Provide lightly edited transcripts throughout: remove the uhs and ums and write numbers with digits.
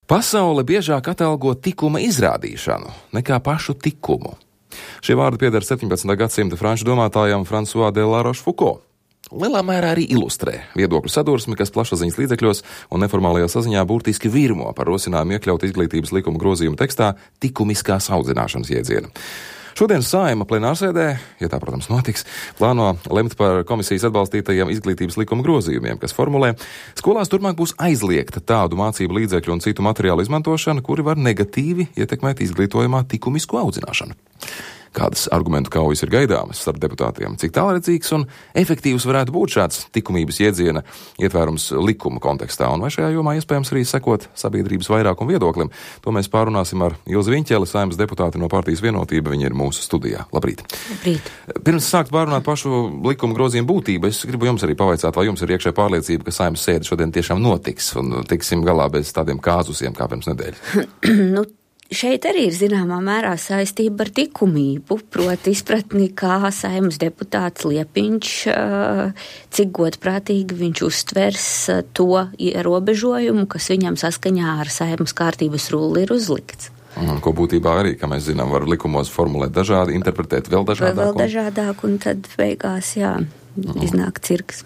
Pasaule biežāk atalgo tikuma izrādīšanu nekā pašu tikumu. Šie vārdi pieder 17. gadsimta franču domātājam François de la Rochefoucauld. Lielā mērā arī ilustrē viedokļu sadursmi, kas plašsaziņas līdzekļos un neformālajā saziņā burtiski virmo par rosinājumu iekļaut izglītības likuma grozījumu tekstā tikumiskās audzināšanas jēdzienu. Šodien Saeima plenārsēdē, ja tā, protams, notiks, plāno lemt par komisijas atbalstītajiem izglītības likuma grozījumiem, kas formulē, skolās turpmāk būs aizliegta tādu mācību līdzekļu un citu materiālu izmantošana, kuri var negatīvi ietekmēt izglītojumā tikumisku audzināšanu. Kādas argumentu kaujas ir gaidāmas starp deputātiem, cik tālredzīgs un efektīvs varētu būt šāds tikumības jēdziena ietvērums likuma kontekstā, un vai šajā jomā iespējams arī sekot sabiedrības vairākumu viedoklim. To mēs pārunāsim ar Ilzi Viņķeli, Saeimas deputāti no partijas Vienotība, viņa ir mūsu studijā. Labrīt! Labrīt! Pirms sākt pārunāt pašu likuma grozījumu būtību, es gribu jums arī pavaicāt, vai jums ir iekšē pārliecība, ka Saeimas sēde šodien tiešām notiks un tiksim galā bez tādiem kāzusiem kā pirms nedēļas. Šeit arī ir zināmā mērā saistība ar likumību, proti izpratni, kā Saeimas deputāts Liepiņš, cik godprātīgi viņš uztvers to ierobežojumu, kas viņam saskaņā ar Saeimas kārtības rulli ir uzlikts. Ko būtībā arī, kā mēs zinām, var likumos formulēt dažādi, interpretēt vēl dažādāk. Vēl dažādāk, un tad beigās, iznāk cirks.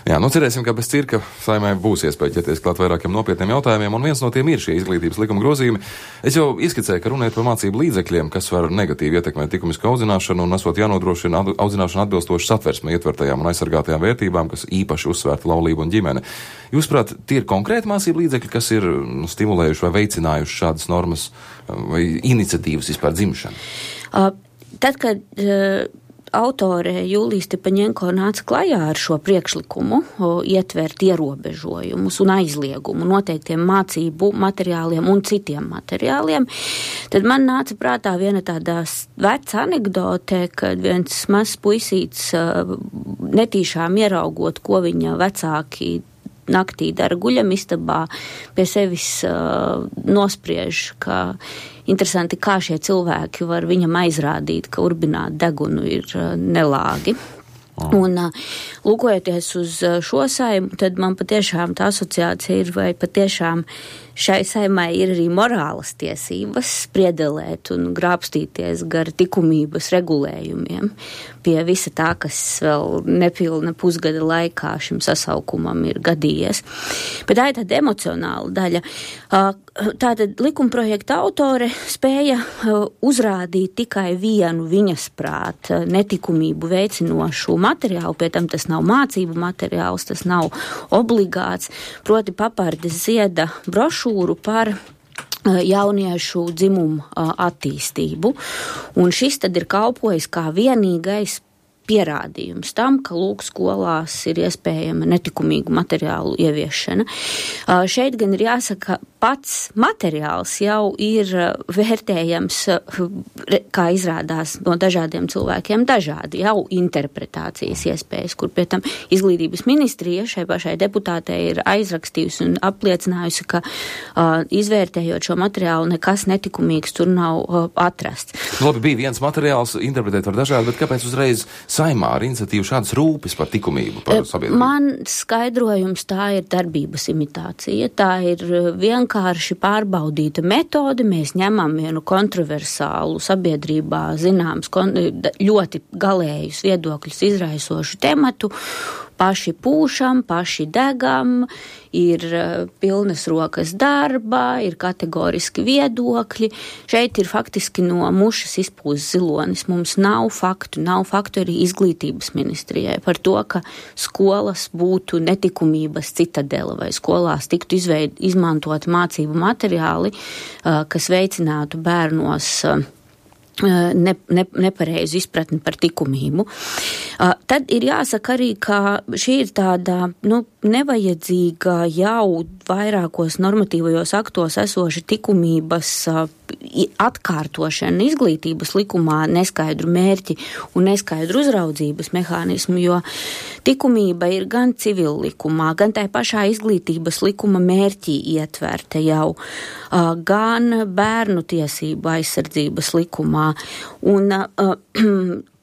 Jā, cerēsim, ka bez cirka Saeimai būs iespēja ķerties klāt vairākiem nopietniem jautājumiem, un viens no tiem ir šie izglītības likuma grozījumi. Es jau ieskicēju, ka runājot par mācību līdzekļiem, kas var negatīvi ietekmēt tikumisku audzināšanu, un esot jānodrošina audzināšana atbilstoši satversmē ietvertajām un aizsargātajām vērtībām, kas īpaši uzsvērta laulību un ģimene. Jūsuprāt, tie ir konkrēti mācību līdzekļi, kas ir stimulējuši vai veicinājuši šādas normas vai iniciatīvas vispār dzimšanu? Tad, kad autore Jūlija Stepaņenko nāca klajā ar šo priekšlikumu ietvert ierobežojumus un aizliegumu noteiktiem mācību materiāliem un citiem materiāliem, tad man nāca prātā viena tāda veca anekdote, kad viens mazs puisīts netīšām ieraugot, ko viņa vecāki naktī dara guļamistabā, pie sevis nospriež, ka interesanti, kā šie cilvēki var viņam aizrādīt, ka urbināt degunu ir nelāgi. Un lūkojoties uz šo Saimu, tad man patiešām tā asociācija ir, vai patiešām šai Saimai ir arī morālas tiesības spriedelēt un grābstīties gar likumības regulējumiem pie visa tā, kas vēl nepilna pusgada laikā šim sasaukumam ir gadījies. Bet tā ir tāda emocionāla daļa. Tātad likumprojekta autore spēja uzrādīt tikai vienu viņas prāt netikumību veicinošu materiālu, pie tam tas nav mācību materiāls, tas nav obligāts, proti Papardes Zieda brošūru par jauniešu dzimumu attīstību. Un šis tad ir kalpojis kā vienīgais pierādījums tam, ka lūk skolās ir iespējama netikumīgu materiālu ieviešana. Šeit gan ir jāsaka, pats materiāls jau ir vērtējams, kā izrādās no dažādiem cilvēkiem, dažādi jau interpretācijas iespējas, kur pie tam izglītības ministrija šai pašai deputātei ir aizrakstījusi un apliecinājusi, ka izvērtējot šo materiālu nekas netikumīgs tur nav atrasts. Labi, bija viens materiāls, interpretēt var dažādi, bet kāpēc uzreiz Saeimā ar iniciatīvu šādas rūpes par likumību, par sabiedrību? Man skaidrojums tā ir darbības imitācija, tā ir vienkārši pārbaudīta metode, mēs ņemam vienu kontroversālu sabiedrībā zināms ļoti galējus viedokļus izraisošu tematu, paši pūšam, paši degam, ir pilnas rokas darba, ir kategoriski viedokļi. Šeit ir faktiski no mušas izpūst zilonis. Mums nav faktu arī izglītības ministrijai par to, ka skolas būtu netikumības citadela vai skolās tiktu izmantot mācību materiāli, kas veicinātu bērnos nepareizu izpratni par likumību. Tad ir jāsaka arī, ka šī ir tāda, nevajadzīga jau vairākos normatīvajos aktos esoša likumības atkārtošana izglītības likumā neskaidru mērķi un neskaidru uzraudzības mehānismu, jo likumība ir gan civil likumā, gan tai pašā izglītības likuma mērķī ietverta jau, gan bērnu tiesību aizsardzības likumā. Un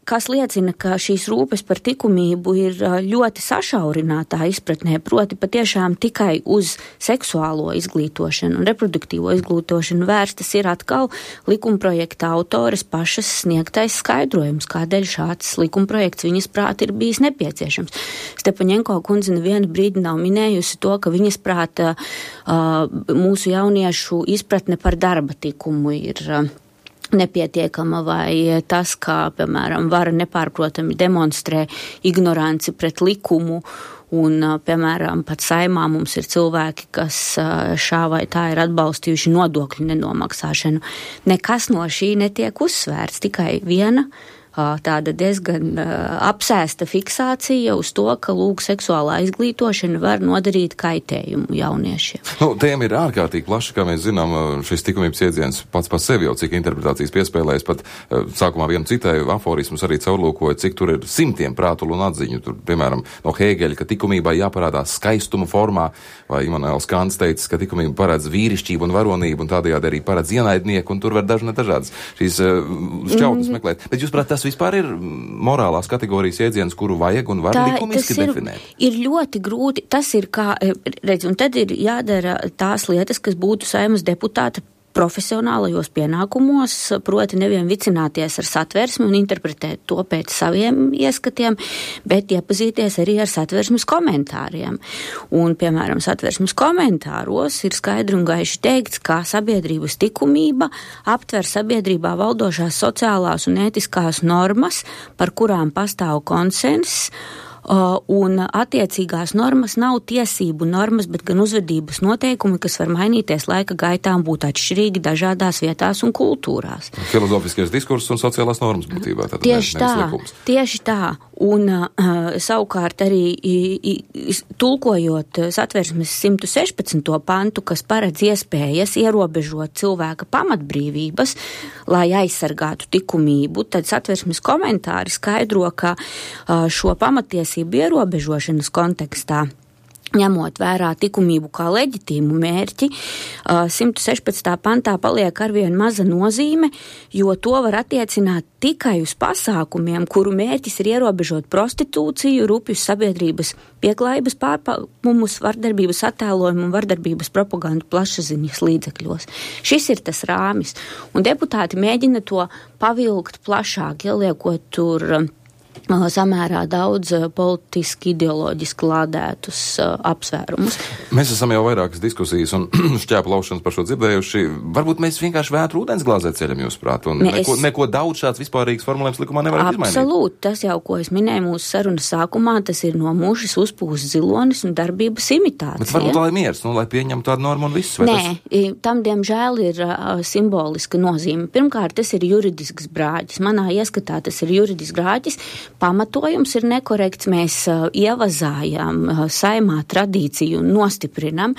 kas liecina, ka šīs rūpes par likumību ir ļoti sašaurinātā izpratnē, proti patiešām tikai uz seksuālo izglītošanu un reproduktīvo izglītošanu vērstas ir atkal likumprojekta autores pašas sniegtais skaidrojums, kādēļ šāds likumprojekts viņas prāt ir bijis nepieciešams. Stepaņenko kundze nevienu brīdi nav minējusi to, ka viņas prāta mūsu jauniešu izpratne par darba tikumu ir nepietiekama vai tas, kā, piemēram, vara nepārprotami demonstrē ignoranci pret likumu un, piemēram, pat Saimā mums ir cilvēki, kas šā vai tā ir atbalstījuši nodokļu nenomaksāšanu. Nekas no šī netiek uzsvērts, tikai viena tāda diezgan apsēsta fiksācija uz to, ka lūk seksuālā izglītošana var nodarīt kaitējumu jauniešiem. Tēma ir ārkārtīgi plaša, kā mēs zinām, šis likumības iedziens pats par sevi jau cik interpretācijas piespēlējas, pat sākumā vienu citēju aforismus arī caurlūkoju, cik tur ir simtiem prātulu un atziņu. Tur, piemēram, no Hēgeļa, ka likumībai jāparādās skaistuma formā, vai Immanuēls Kants teica, ka likumība paredz vīrišķību un varonību, un tādējādi arī paredz ienaidnieku, un tur var dažādas šīs šķautnes meklēt. Bet jūs prāt, tas vispār ir morālās kategorijas iedziens, kuru vajag un var likumiski definēt? Ir ļoti grūti, tas ir kā, redz, un tad ir jādara tās lietas, kas būtu Saeimas deputāta profesionālajos pienākumos, proti nevien vicināties ar satversmi un interpretēt to pēc saviem ieskatiem, bet iepazīties arī ar satversmes komentāriem. Un, piemēram, satversmes komentāros ir skaidri un gaiši teikts, ka sabiedrības likumība aptver sabiedrībā valdošās sociālās un ētiskās normas, par kurām pastāv konsenss, un attiecīgās normas nav tiesību normas, bet gan uzvedības noteikumi, kas var mainīties laika gaitā un būt atšķirīgi dažādās vietās un kultūrās. Filozofiskais diskurss un sociālās normas būtībā. Tieši tā. Un savukārt arī tulkojot satversmes 116. pantu, kas paredz iespējas ierobežot cilvēka pamatbrīvības, lai aizsargātu likumību, tad satversmes komentāri skaidro, ka šo pamatiesību ierobežošanas kontekstā, ņemot vērā likumību kā leģitīmu mērķi, 116. pantā paliek arvien maza nozīme, jo to var attiecināt tikai uz pasākumiem, kuru mērķis ir ierobežot prostitūciju, rupjus sabiedrības pieklājības pārpakumus, vardarbības attēlojumu un vardarbības propagandu plašsaziņas līdzekļos. Šis ir tas rāmis, un deputāti mēģina to pavilkt plašāk, ieliekot tur samērā daudz politiski, ideoloģiski lādētus apsvērumus. Mēs esam jau vairākas diskusijas un šķēpu laušanas par šo dzirdējuši. Varbūt mēs vienkārši vētru ūdensglāzē ceļam jūs prāt, un neko daudz šāds vispārīgs formulējums likumā nevar izmainīt. Absolūti, tas jau, ko es minēju mūsu sarunas sākumā, tas ir no mušas uzpūs zilonis un darbības imitācija. Bet varbūt lai miers, lai pieņem tādu normu un viss. Nē, tam diemžēl ir simboliska nozīme. Pirmkārt, tas ir juridisks brāģis. Manā ieskatā tas ir juridisks brāģis. Pamatojums ir nekorekts, mēs ievazājam Saeimā tradīciju un nostiprinam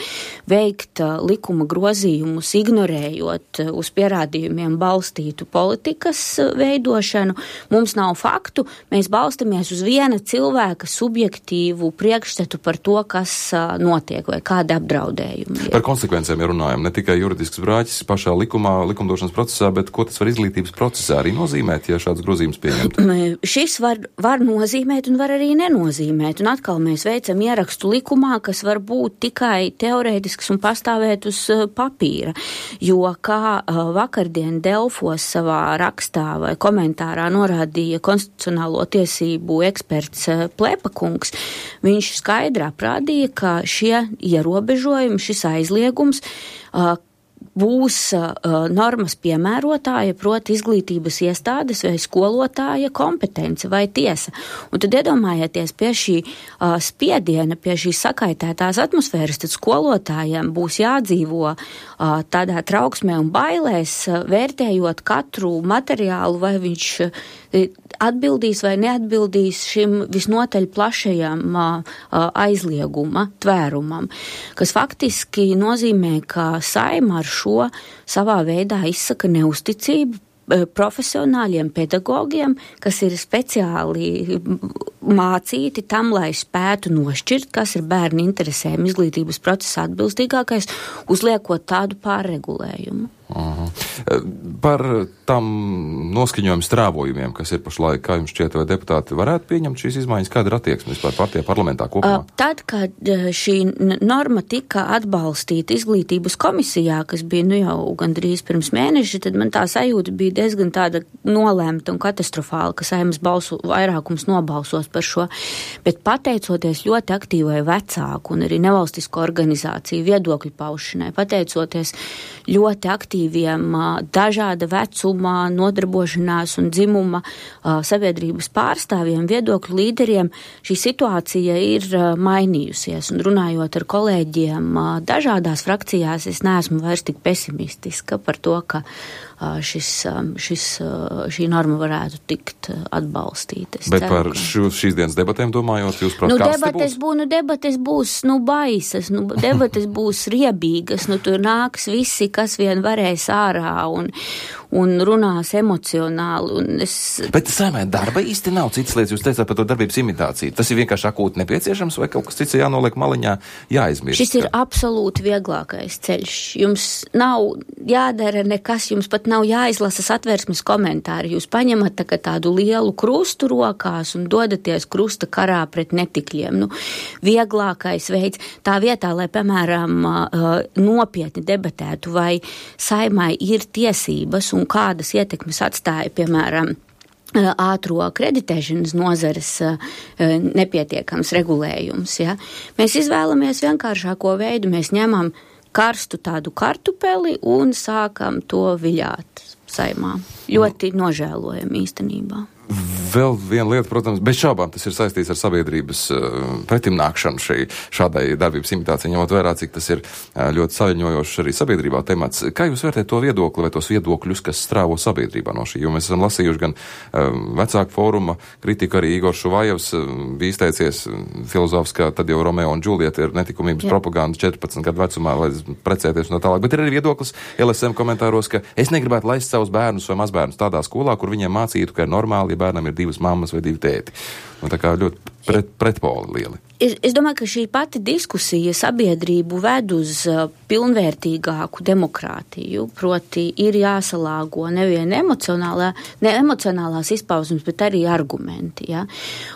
veikt likuma grozījumus, ignorējot uz pierādījumiem balstītu politikas veidošanu. Mums nav faktu, mēs balstamies uz viena cilvēka subjektīvu priekšstatu par to, kas notiek vai kāda apdraudējuma. Par konsekvencēm runājam, ne tikai juridisks brāķis pašā likumdošanas procesā, bet ko tas var izglītības procesā arī nozīmēt, ja šāds grozījums pieņemt? Šis var nozīmēt un var arī nenozīmēt. Un atkal mēs veicam ierakstu likumā, kas var būt tikai teorētisks un pastāvēt uz papīra. Jo, kā vakardien Delfos savā rakstā vai komentārā norādīja konstitucionālo tiesību eksperts Plepakungs, viņš skaidrā prādīja, ka šie ierobežojumi, šis aizliegums būs normas piemērotāja, proti izglītības iestādes vai skolotāja kompetence vai tiesa. Un tad iedomājieties pie šī spiediena, pie šīs sakaitētās atmosfēras, tad skolotājiem būs jādzīvo tādā trauksmē un bailēs, vērtējot katru materiālu, vai viņš atbildīs vai neatbildīs šim visnotaļ plašajam aizlieguma tvērumam, kas faktiski nozīmē, ka Saeima ar šo savā veidā izsaka neusticību profesionāļiem pedagogiem, kas ir speciāli mācīti tam, lai spētu nošķirt, kas ir bērnu interesēm izglītības procesā atbilstīgākais, uzliekot tādu pārregulējumu. Par tam noskaņojumu strāvojumiem, kas ir pašlaik, kā jums šķiet, vai deputāti varētu pieņemt šīs izmaiņas, kāda ir attieksme vispār partijā parlamentā kopumā? Tad, kad šī norma tika atbalstīta izglītības komisijā, kas bija jau gandrīz pirms mēneša, tad man tā sajūta bija diezgan tāda nolēmta un katastrofāla, ka Saeimas vairākums nobalsos par šo, bet pateicoties ļoti aktīvai vecāku un arī nevalstisko organizāciju viedokļu paušanai, pateicoties ļoti aktīviem dažāda vecuma, nodarbošanās un dzimuma sabiedrības pārstāvjiem, viedokļu līderiem, šī situācija ir mainījusies. Un runājot ar kolēģiem dažādās frakcijās, es neesmu vairs tik pesimistiska par to, ka šī norma varētu tikt atbalstīta. Bet ceru, par šīs dienas debatēm domājot, jūs prāt, debates būs baisas, debates būs riebīgas, tur nāks visi, kas vien varēs ārā un runās emocionāli. Bet Saeimai darba īsti nav citas lietas, jūs teicāt par to darbības imitāciju. Tas ir vienkārši akūti nepieciešams vai kaut kas cits jānoliek maliņā, jāizmirst? Šis ir absolūti vieglākais ceļš. Jums nav jādara nekas, jums pat nav jāizlasa Satversmes komentāri. Jūs paņemat tādu lielu krustu rokās un dodaties krusta karā pret netikļiem. Vieglākais veids tā vietā, lai, piemēram, nopietni debatētu, vai Saeimai ir tiesības un kādas ietekmes atstāja, piemēram, ātro kreditēšanas nozares nepietiekams regulējums. Ja? Mēs izvēlamies vienkāršāko veidu, mēs ņemam karstu tādu kartupeli un sākam to viļāt Saeimā. Ļoti nožēlojam īstenībā. Vēl viena lieta, protams, bez šaubām tas ir saistīts ar sabiedrības pretimnākšanu šādai darbības imitācijai, ņemot vērā, cik tas ir ļoti saviņojošs arī sabiedrībā temats. Kā jūs vērtējat to viedokli vai tos viedokļus, kas strāvo sabiedrībā no šī? Jo mēs esam lasījuši gan vecāku fóruma kritiku, arī Igors Šuvājevs bija izteicies filozofs, ka tad jau Romeo un Džulieta ir netikumības propaganda 14 gadu vecumā, lai precēties un tā tālāk. Bet ir arī viedoklis LSM komentāros, ka es negribētu laist savus bērnus vai mazbērnus tādā skolā, kur viņiem mācītu, ka ir normāli, ja bērnam ir 2 mammas vai 2 tēti. Tā kā ļoti pretpoli lieli. Es domāju, ka šī pati diskusija sabiedrību ved uz pilnvērtīgāku demokrātiju, proti ir jāsalāgo nevien emocionālās izpausmes, bet arī argumenti. Ja?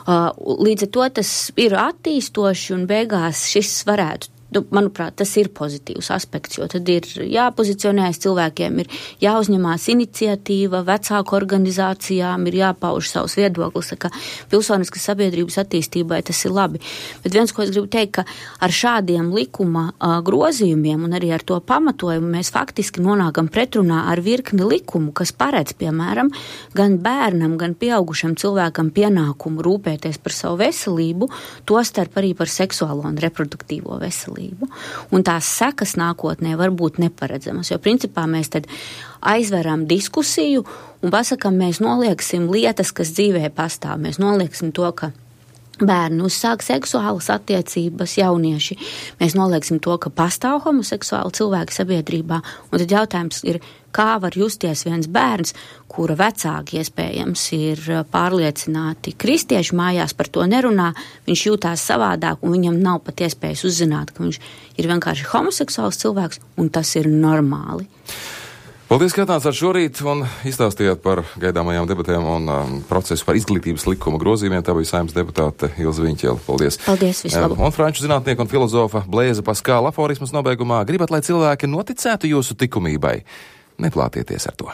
Līdz ar to tas ir attīstoši un beigās šis varētu. Manuprāt, tas ir pozitīvs aspekts, jo tad ir jāpozicionējas cilvēkiem, ir jāuzņemās iniciatīva, vecāku organizācijām ir jāpauž savus viedoklis, ka pilsoniskas sabiedrības attīstībai tas ir labi. Bet viens, ko es gribu teikt, ka ar šādiem likuma grozījumiem un arī ar to pamatojumu mēs faktiski nonākam pretrunā ar virkni likumu, kas paredz, piemēram, gan bērnam, gan pieaugušam cilvēkam pienākumu rūpēties par savu veselību, tostarp arī par seksuālo un reproduktīvo veselību. Un tās sekas nākotnē var būt neparedzamas, jo principā mēs tad aizveram diskusiju un pasakam, mēs nolieksim lietas, kas dzīvē pastāv. Mēs nolieksim to, ka bērni uzsāk seksuālas attiecības, jaunieši. Mēs nolieksim to, ka pastāv homoseksuāli cilvēki sabiedrībā. Un tad jautājums ir, kā var justies viens bērns, kura vecāki iespējams ir pārliecināti kristiešu mājās, par to nerunā, viņš jūtās savādāk un viņam nav pat iespējas uzzināt, ka viņš ir vienkārši homoseksuāls cilvēks un tas ir normāli. Paldies, ka atnācāt šorīt un izstāstījāt par gaidāmajām debatēm un procesu par izglītības likuma grozījumiem. Tā bija Saeimas deputāte Ilze Viņķele. Paldies. Paldies, vislabāk. Un franču zinātnieka un filozofa Blaise Pascale aforismas nobeigumā: gribat, lai cilvēki noticētu jūsu likumībai? Neplātieties ar to.